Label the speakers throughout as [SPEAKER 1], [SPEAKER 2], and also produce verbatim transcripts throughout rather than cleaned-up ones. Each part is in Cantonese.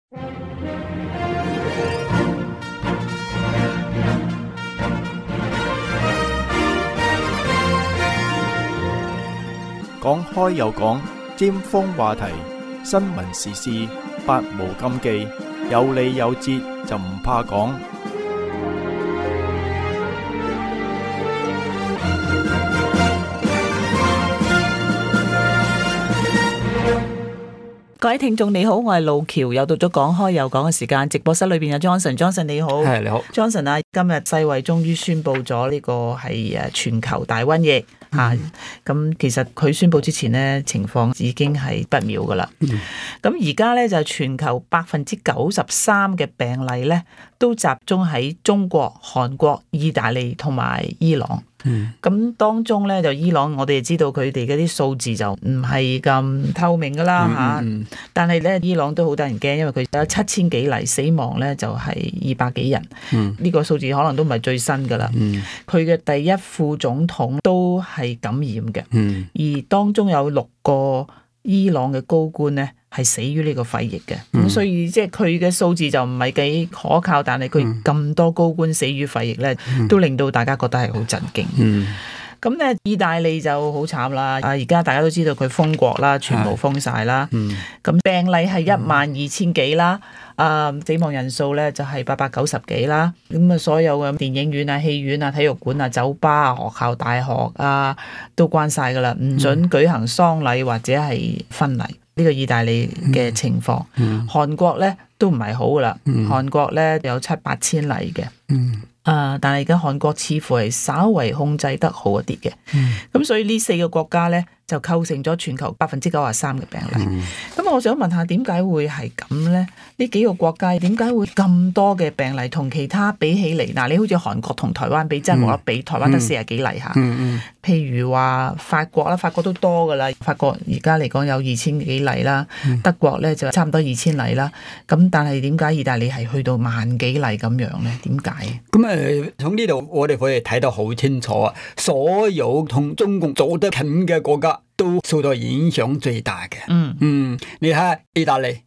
[SPEAKER 1] 講開又講，尖鋒話題，新聞時事，百無禁忌，有理有節就唔怕講。
[SPEAKER 2] 各位聽眾你好，我係路橋，又到咗講開又講嘅時間。直播室裏邊有 Johnson，Johnson 你好，
[SPEAKER 3] 係你好
[SPEAKER 2] ，Johnson 啊，今日世衛終於宣布咗呢個係誒全球大瘟疫吓，咁、嗯啊、其實佢宣布之前呢，情況已經係不妙噶啦。咁而家咧就全球百分之九十三嘅病例咧都集中喺中國、韓國、意大利同埋伊朗。咁、嗯、當中咧就伊朗，我哋知道佢哋嗰啲數字就唔係咁透明噶啦吓，嗯嗯、但係咧伊朗都好得人驚，因為佢有七千幾例死亡咧就係二百幾人，呢、嗯、個數字可能都唔係最新噶啦。佢嘅、嗯、第一副總統都係感染嘅，嗯、而當中有六個伊朗嘅高官咧係死於呢個肺疫嘅，咁、嗯、所以即係佢嘅數字就唔係幾可靠，但係佢咁多高官死於肺疫咧，嗯、都令到大家覺得係好震驚。咁咧、嗯，意大利就好慘啦，啊而家大家都知道佢封國啦，全部封晒啦。咁、嗯、病例係一萬二千幾啦，啊死亡人數咧就係八百九十幾啦。咁啊，所有嘅電影院啊、戲院啊、體育館啊、酒吧啊、學校、大學啊都關晒噶啦，唔准舉行喪禮或者係婚禮。呢個意大利嘅情況，嗯、韓國咧都唔係好噶啦，嗯、韓國咧有七八千例嘅，嗯、啊，但係而家韓國似乎係稍為控制得好一啲嘅，咁、嗯、所以呢四個國家咧就構成咗全球百分之九十三嘅病例。咁、嗯、我想問下點解會係咁咧？呢幾個國家點解會咁多嘅病例？同其他比起嚟，嗱，你好似韓國同台灣比，真係冇得比，台灣得四十幾例嚇。嗯嗯、譬如話法國啦，法國都多噶啦，法國而家嚟講有二千幾例啦，嗯、德國咧就差唔多二千例啦。咁但係點解意大利係去到萬幾例咁樣咧？點解？
[SPEAKER 3] 咁誒，從呢度我哋可以睇得好清楚啊！所有同中共走得近嘅國家都受到影響最大嘅。嗯嗯，你睇意大利。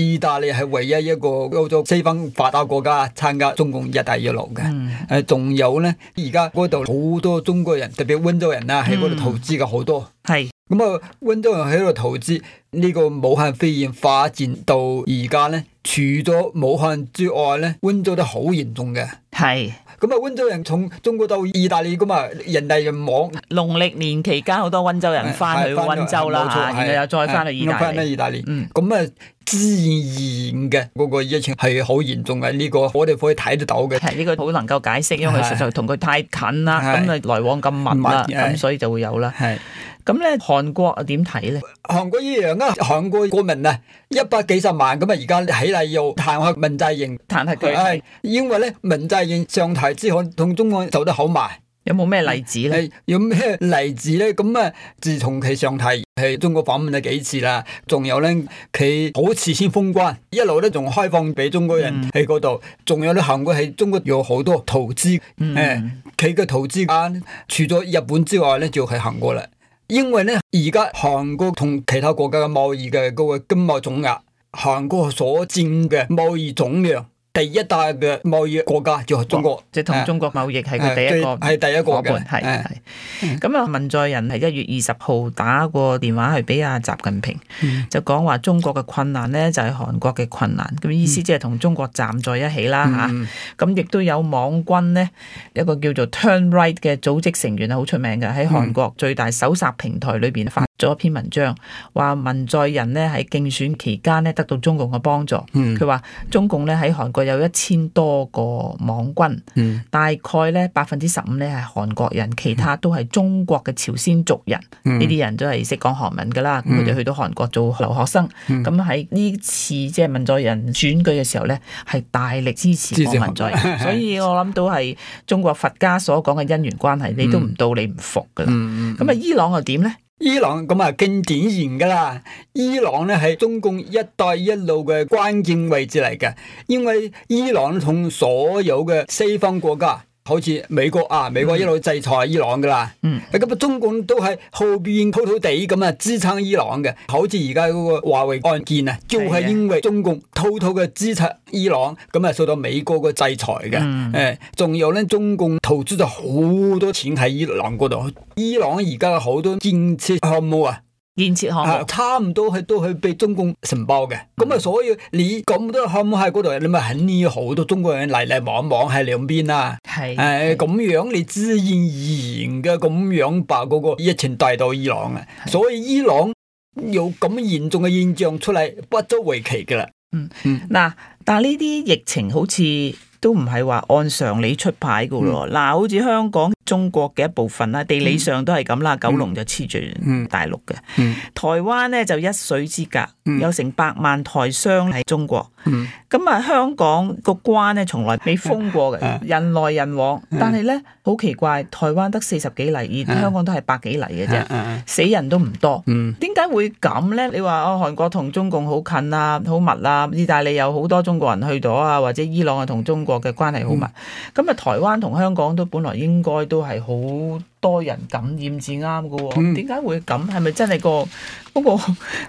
[SPEAKER 3] 意大利係唯一一個歐洲西方發達國家參加中共一帶一路嘅，誒仲、嗯、有咧，而家嗰度好多中國人，特別溫州人啊，喺嗰度投資嘅好多。係咁啊，溫州人喺度投資，呢、這個武漢肺炎發展到而家咧，除咗武漢之外咧，溫州都好嚴重嘅。係。咁啊，溫州人從中國到意大利咁啊，人嚟人往。農曆年期間，好多溫州人翻去溫州啦，然後又再翻去意大利。翻去意大利。嗯。咁啊，自然嘅嗰個疫情係好嚴重嘅，呢、這個我哋可以睇得到嘅。係呢、這個好能夠解釋，因為實在同佢太近啦，咁啊來往咁密啦，咁所以就會有啦。係。咁咧，韓國啊點睇咧？韓國一樣啊，韓國國民啊，一百幾十萬咁啊，而家起嚟要彈劾文在寅，彈劾佢係因為咧文在寅上台之後同中國走得好埋。有冇咩例子咧？有咩例子咧？咁啊，自從佢上台喺中國訪問咗幾次啦，仲有咧佢好遲先封關，一路咧仲開放俾中國人喺嗰度，仲、嗯、有咧韓國喺中國有好多投資，誒佢嘅投資啊，除咗日本之外咧，就係韓國啦。因為咧，而家韓國同其他國家嘅貿易嘅嗰個經貿總額，韓國所佔嘅貿易總量，第一大嘅貿易國家就係中國，即係同中國貿易係佢第一個，係第一個嘅，係係。咁啊，文在寅係一月二十號打過電話去俾阿習近平，嗯、就講話中國嘅困難咧就係韓國嘅困難，咁意思即係同中國站在一起啦嚇。咁亦都有網軍咧，一個叫做 Turn Right 嘅組織成員係好出名嘅，喺韓國最大搜索平台裏邊發咗一篇文章，話文在寅咧喺競選期間咧得到中共嘅幫助。佢話、嗯、中共咧喺韓國有一千多個網軍，嗯、大概咧百分之十五咧係韓國人，其他都係中國嘅朝鮮族人。呢啲、嗯、人都係識講韓文噶啦，咁佢哋去到韓國做留學生。咁喺呢次即係文在寅選舉嘅時候咧，係大力支持文在寅，所以我諗到係中國佛家所講嘅因緣關係，你都唔到你唔服噶啦。咁啊、嗯，嗯、伊朗又點咧？伊朗咁啊，更典型噶啦！伊朗咧係中共一帶一路嘅關鍵位置嚟嘅，因為伊朗同所有嘅西方國家好似美國啊，美國一路制裁伊朗噶啦，嗯，咁啊中共都係後邊偷偷地咁啊支撐伊朗嘅，好似而家嗰個華為案件啊，就係、是、因為中共偷偷嘅支撐伊朗，咁啊受到美國嘅制裁嘅，誒、嗯，仲有咧中共投資咗好多錢喺伊朗嗰度，伊朗而家好多建設項目啊。
[SPEAKER 2] 建設項目、啊、
[SPEAKER 3] 差唔多係都係被中共承包嘅，咁啊、嗯，所以你咁多項目喺嗰度，你咪肯定好多中國人嚟嚟往往喺兩邊啦。係誒咁樣，你自然而然嘅咁樣把嗰個疫情帶到伊朗啊，所以伊朗有咁嚴重嘅現象出嚟，不足為奇噶啦。
[SPEAKER 2] 嗯嗯，嗱，但係呢啲疫情好似都唔係話按常理出牌噶咯。嗱、嗯，好似香港。中國嘅一部分啦，地理上都係咁啦，九龍就黐住大陸嘅，嗯嗯、台灣咧就一水之隔，嗯、有成百萬台商喺中國。咁啊、嗯，香港個關咧從來未封過嘅，嗯、人來人往。嗯、但係咧好奇怪，台灣得四十幾例，而香港都係百幾例嘅啫，嗯嗯、死人都唔多。點解、嗯、會咁咧？你話哦，韓國同中共好近啊，好密啊，意大利有好多中國人去咗啊，或者伊朗啊同中國嘅關係好密。咁啊、嗯，台灣同香港都本來應該都。都係好多人感染至啱嘅喎，點解、嗯、會咁？係咪真係個嗰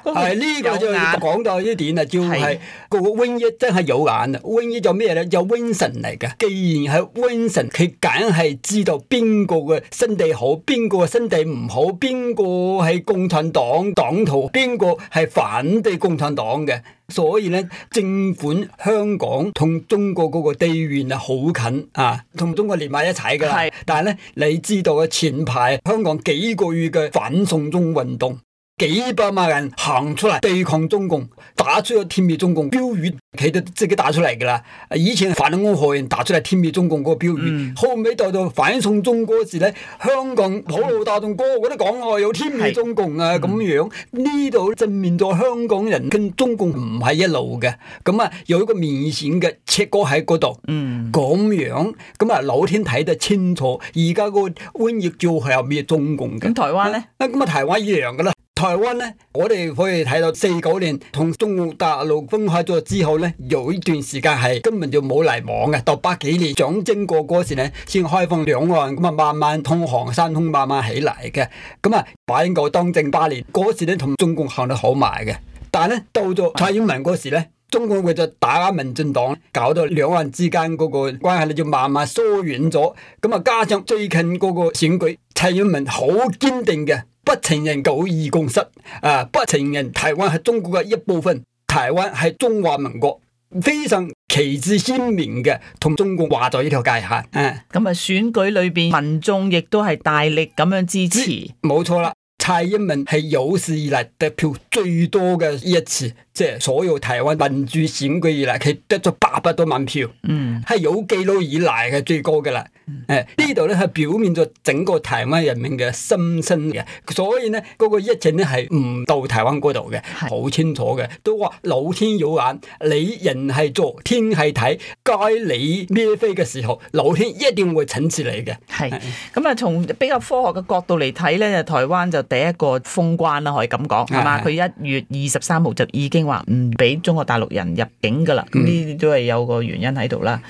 [SPEAKER 2] 個？係呢、嗰個、個就講到呢點啊，就係個瘟疫真係有眼啊！瘟疫就咩咧？就瘟神嚟嘅。既然係瘟神，佢梗係知道邊個嘅身體好，邊個嘅身體唔好，邊個係共產黨黨徒，邊個係反對共產黨嘅。所以咧，政府香港同中國嗰個地緣啊好近啊，同中國連埋一齊噶啦。是但係咧，你知道嘅前排香港幾個月嘅反送中運動，幾百萬人行出嚟對抗中共，打出咗天滅中共標語，佢哋自己打出嚟噶啦。以前反安河人打出嚟天滅中共嗰個標語，嗯、後尾到到反送中嗰時咧，香港普羅大眾個個都講我有天滅中共啊咁樣，呢度證明咗香港人跟中共唔係一路嘅，咁啊有一個明顯嘅切割喺嗰度，咁、嗯、樣咁啊老天睇得清楚，而家個瘟疫就係有滅中共嘅。咁台灣咧？啊咁啊台灣一樣噶啦。台灣咧，我哋可以睇到四九年同中國大陸分開咗之後咧，有一段時間係根本就冇嚟往嘅，到八幾年蔣經國嗰時咧先開放兩岸，咁啊慢慢通航山通慢慢起嚟嘅。咁啊馬英九當政八年嗰時咧，同中共行得好埋嘅。但係咧到咗蔡英文嗰時咧，中共為咗打壓民進黨，搞到兩岸之間嗰個關係咧就慢慢疏遠咗。咁啊加上最近嗰個選舉，蔡英文好堅定嘅。不承認九二共識，啊！不承認台灣係中國嘅一部分，台灣係中華民國，非常旗幟鮮明嘅，同中共劃咗呢條界限。啊！咁啊，選舉裏邊民眾亦都係大力咁樣支持，冇錯啦。蔡英文係有史以來得票最多嘅一次，即係所有台灣民主選舉以來，佢得咗八百多萬票，嗯，係有記錄以來嘅最高嘅啦。誒，呢度咧係表現咗整個台灣人民嘅心聲嘅，所以咧嗰個疫情咧係唔到台灣嗰度嘅，好是清楚嘅，都話老天有眼，你人係做，天係睇，該你孭飛嘅時候，老天一定會懲治你嘅。係，咁啊，從比較科學嘅角度嚟睇咧，台灣就第一個封關啦，可以咁講，係嘛？佢一月二十三號就已經話唔俾中國大陸人入境噶啦，咁呢啲都係有個原因喺度啦。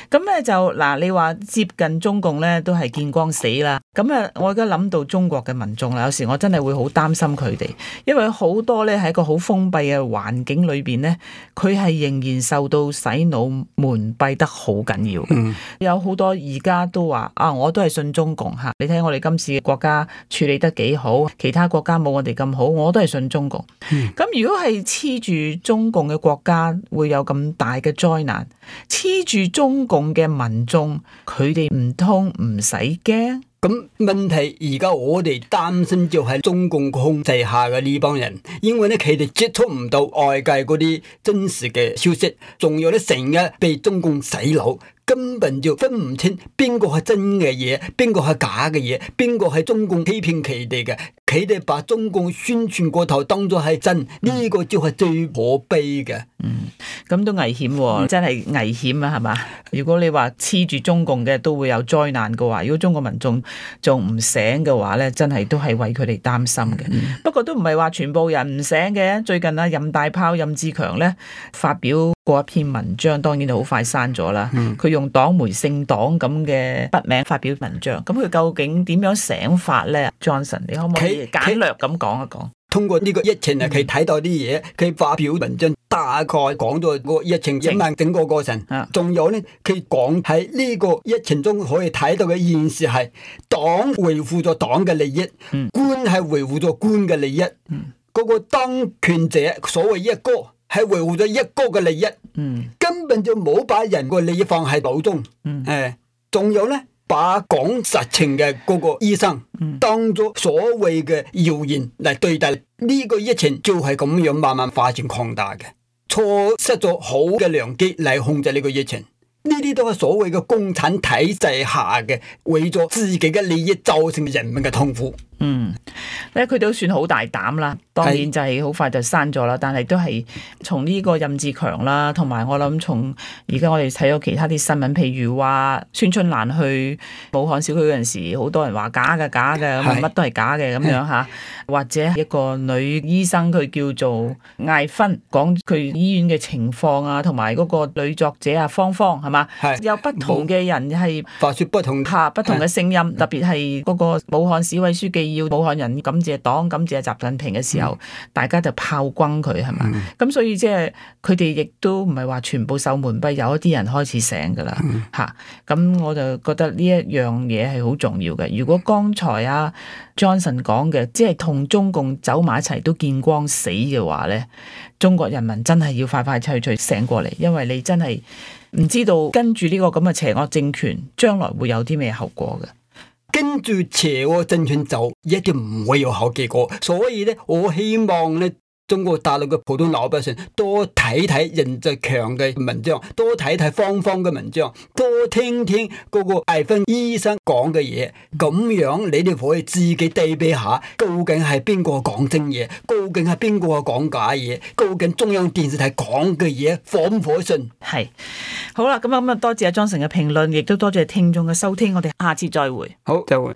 [SPEAKER 2] 咁咧、嗯、就嗱，你話接近中共咧都係見光死啦，咁啊，我而家諗到中國嘅民眾啦，有時我真係會好擔心佢哋，因為好多咧喺一個好封閉嘅環境裏邊咧，佢係仍然受到洗腦蒙蔽得好緊要。嗯、有好多而家都話啊，我都係信中共吓，你睇我哋今次嘅國家處理得幾好，其他國家冇我哋咁好，我都係信中共。咁、嗯、如果係黐住中共嘅國家會有咁大嘅災難，黐住中共嘅民眾，佢哋唔通唔使驚？咁問題而家我哋擔心就係中共控制下嘅呢幫人，因為咧佢哋接觸唔到外界嗰啲真實嘅消息，仲有咧成日被中共洗腦，根本就分唔清邊個係真嘅嘢，邊個係假嘅嘢，邊個係中共欺騙佢哋嘅，佢哋把中共宣傳嗰頭當作係真，呢、這個就係最可悲嘅。嗯，咁都危險喎，真係危險啊，係嘛？如果你話黐住中共嘅都會有災難嘅話，如果中國民眾仲唔醒嘅話咧，真係都係為佢哋擔心嘅。嗯、不過都唔係話全部人唔醒嘅。最近啊，任大炮任志強咧發表過一篇文章，當然就好快刪咗啦。佢、嗯、用黨媒姓黨咁嘅筆名發表文章，咁佢究竟點樣醒法咧 ？Johnson， 你可唔可以簡略咁講一講？
[SPEAKER 3] 通過呢個疫情啊，佢睇到啲嘢，佢發表文章，大概講咗個疫情影響整個過程。仲有咧，佢講喺呢個疫情中可以睇到嘅現實係黨維護咗黨嘅利益，嗯、官係維護咗官嘅利益。嗰、嗯、個當權者所謂一哥係維護咗一哥嘅利益，嗯、根本就冇把人個利益放喺腦中。誒、嗯，仲有咧。把講實情嘅嗰個醫生當咗所謂嘅謠言嚟對待，呢個疫情就係咁樣慢慢發展擴大嘅，錯失咗好嘅良機嚟控制呢個疫情。呢啲都係所謂嘅共產體制下嘅，為咗自己嘅利益造成人民嘅痛苦。
[SPEAKER 2] 嗯，咧佢都算好大膽啦，當然就係好快就刪咗啦。但係都係從呢個任志強啦，同埋我諗從而家我哋睇到其他啲新聞，譬如話孫春蘭去武漢小區嗰陣時，好多人話假嘅假嘅，咁乜都係假嘅咁樣吓。或者一個女醫生佢叫做艾芬，講佢醫院嘅情況啊，同埋嗰個女作者啊芳芳係嘛，有不同嘅人係
[SPEAKER 3] 發出不同
[SPEAKER 2] 下不同嘅聲音，特別係嗰個武漢市委書記要武漢人感謝黨、感謝習近平嘅時候，嗯、大家就炮轟佢係嘛，咁、嗯、所以即係佢哋亦都唔係話全部受蒙蔽，有一啲人開始醒噶啦吓，咁、嗯啊、我就覺得呢一樣嘢係好重要嘅。如果剛才啊 Johnson 講嘅，即係同中共走埋一齊都見光死嘅話咧，中國人民真係要快快脆脆醒過嚟，因為你真係唔知道跟住呢個咁嘅邪惡政權將來會有啲咩後果嘅。
[SPEAKER 3] 跟住邪惡政權走，一定唔會有好結果。所以咧，我希望咧，中國大陸嘅普通老百姓多睇睇任志強嘅文章，多睇睇芳芳嘅文章，多聽聽嗰個艾芬醫生講嘅嘢，咁樣你哋可以自己對比下，究竟係邊個講真嘢，究竟係邊個講假嘢，究竟中央電視台講嘅嘢可唔可信？
[SPEAKER 2] 係好啦，咁啊咁啊，多謝阿 Johnson 嘅評論，亦都多謝聽眾嘅收聽，我哋下次再會。
[SPEAKER 3] 好，再會。